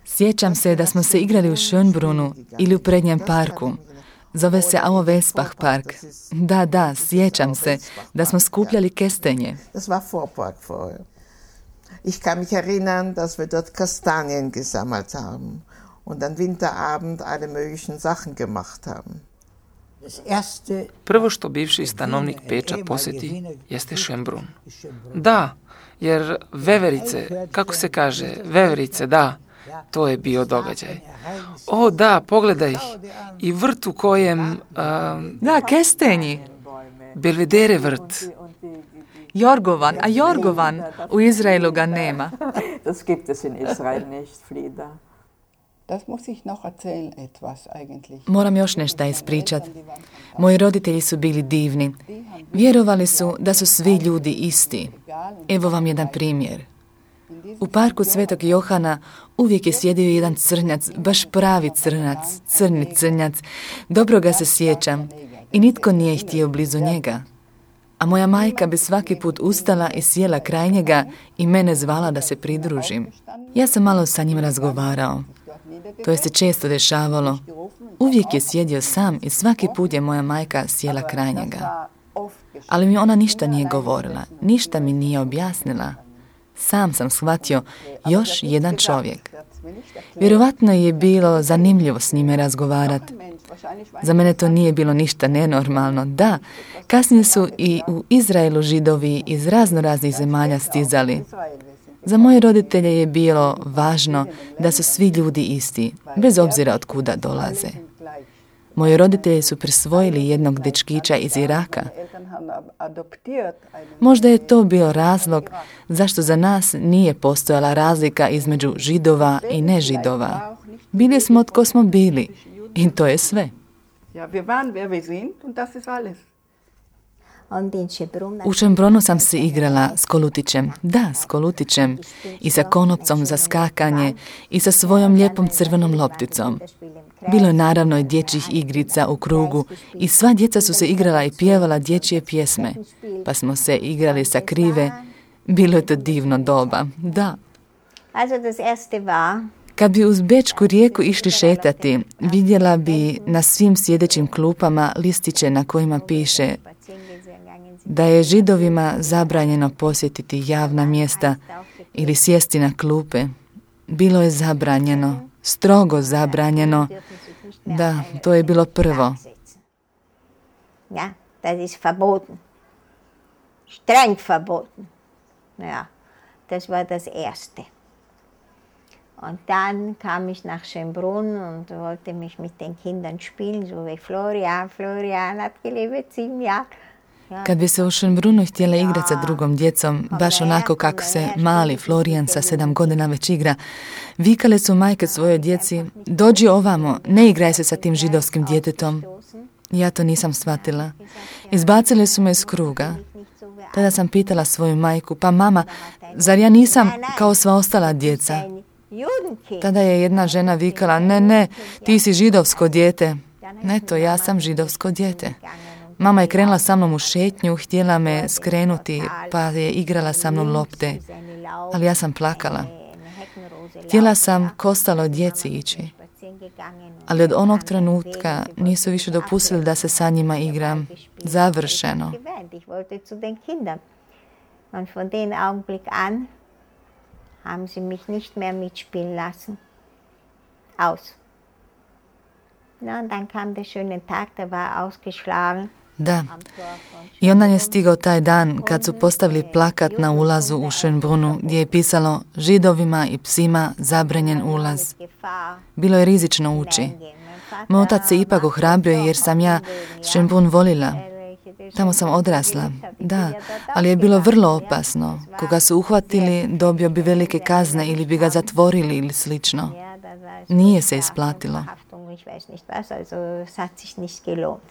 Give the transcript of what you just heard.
Sjećam se da smo se igrali u Schönbrunnu ili u prednjem parku. Zove se Auer-Welsbach park. Da, sjećam se da smo skupljali kestenje. Ich kann mich erinnern, dass wir dort Kastanien gesammelt haben und an Winterabend alle möglichen Sachen gemacht haben. Prvo što bivši stanovnik Peča posjeti jeste Schönbrunn. Da, jer veverice, kako se kaže, veverice, da, to je bio događaj. O da, pogledaj, i vrt u kojem... Da, kestenji. Belvedere vrt. Jorgovan, u Izraelu ga nema. Das gibt es in Israel nicht, Frieda. Moram još nešto ispričat. Moji roditelji su bili divni. Vjerovali su da su svi ljudi isti. Evo vam jedan primjer. U parku Svetog Johana uvijek je sjedio jedan crnjac, baš pravi crnac, crni crnjac. Dobro ga se sjećam i nitko nije htio blizu njega. A moja majka bi svaki put ustala i sjela kraj njega i mene zvala da se pridružim. Ja sam malo sa njim razgovarao. To je se često dešavalo. Uvijek je sjedio sam i svaki put je moja majka sjela kraj njega. Ali mi ona ništa nije govorila, ništa mi nije objasnila. Sam sam shvatio još jedan čovjek. Vjerovatno je bilo zanimljivo s njime razgovarati. Za mene to nije bilo ništa nenormalno. Da, kasnije su i u Izraelu Židovi iz raznih zemalja stizali. Za moje roditelje je bilo važno da su svi ljudi isti, bez obzira od kuda dolaze. Moji roditelji su prisvojili jednog dečkića iz Iraka. Možda je to bio razlog zašto za nas nije postojala razlika između Židova i nežidova. Bili smo tko smo bili i to je sve. U Schönbrunnu sam se igrala s kolutićem, s kolutićem i sa konopcom za skakanje i sa svojom lijepom crvenom lopticom. Bilo je naravno i dječjih igrica u krugu i sva djeca su se igrala i pjevala dječje pjesme, pa smo se igrali sa krive. Bilo je to divno doba, da. Kad bi uz Bečku rijeku išli šetati, vidjela bi na svim sjedećim klupama listiće na kojima piše da je Židovima zabranjeno posjetiti javna mjesta ili sjesti na klupe. Bilo je zabranjeno, strogo zabranjeno. Da, to je bilo prvo. Ja, das ist verboten. Streng verboten. Ja, das war das Erste. Und dann kam ich nach Schönbrunn und wollte mich mit den Kindern spielen, so wie Florian hat gelebt 7 Jahre. Kad bi se u Schönbrunnu htjela igrati sa drugom djecom, baš onako kako se mali Florijan sa 7 godina već igra, vikale su majke svojoj djeci, dođi ovamo, ne igraj se sa tim židovskim djetetom. Ja to nisam shvatila. Izbacili su me iz kruga. Tada sam pitala svoju majku, pa mama, zar ja nisam kao sva ostala djeca? Tada je jedna žena vikala, ne, ti si židovsko dijete. Eto, ja sam židovsko dijete. Mama je krenula sa mnom u šetnju, htjela me skrenuti, pa je igrala sa mnom lopte. Ali ja sam plakala. Htjela sam ko ostalo djeci ići. Ali od onog trenutka nisu više dopustili da se sa njima igram. Završeno. Und von dem Augenblick an haben sie mich nicht mehr mitspielen lassen. Aus. Na, und dann kam der schöne Tag, der war ausgeschlagen. Da. I onda je stigao taj dan kad su postavili plakat na ulazu u Schönbrunnu gdje je pisalo Židovima i psima zabranjen ulaz. Bilo je rizično ući. Moj otac se ipak ohrabrio jer sam ja Schönbrunn volila. Tamo sam odrasla, da, ali je bilo vrlo opasno. Koga su uhvatili, dobio bi velike kazne ili bi ga zatvorili ili slično. Nije se isplatilo. Ich weiß nicht was, also es hat sich nicht gelohnt.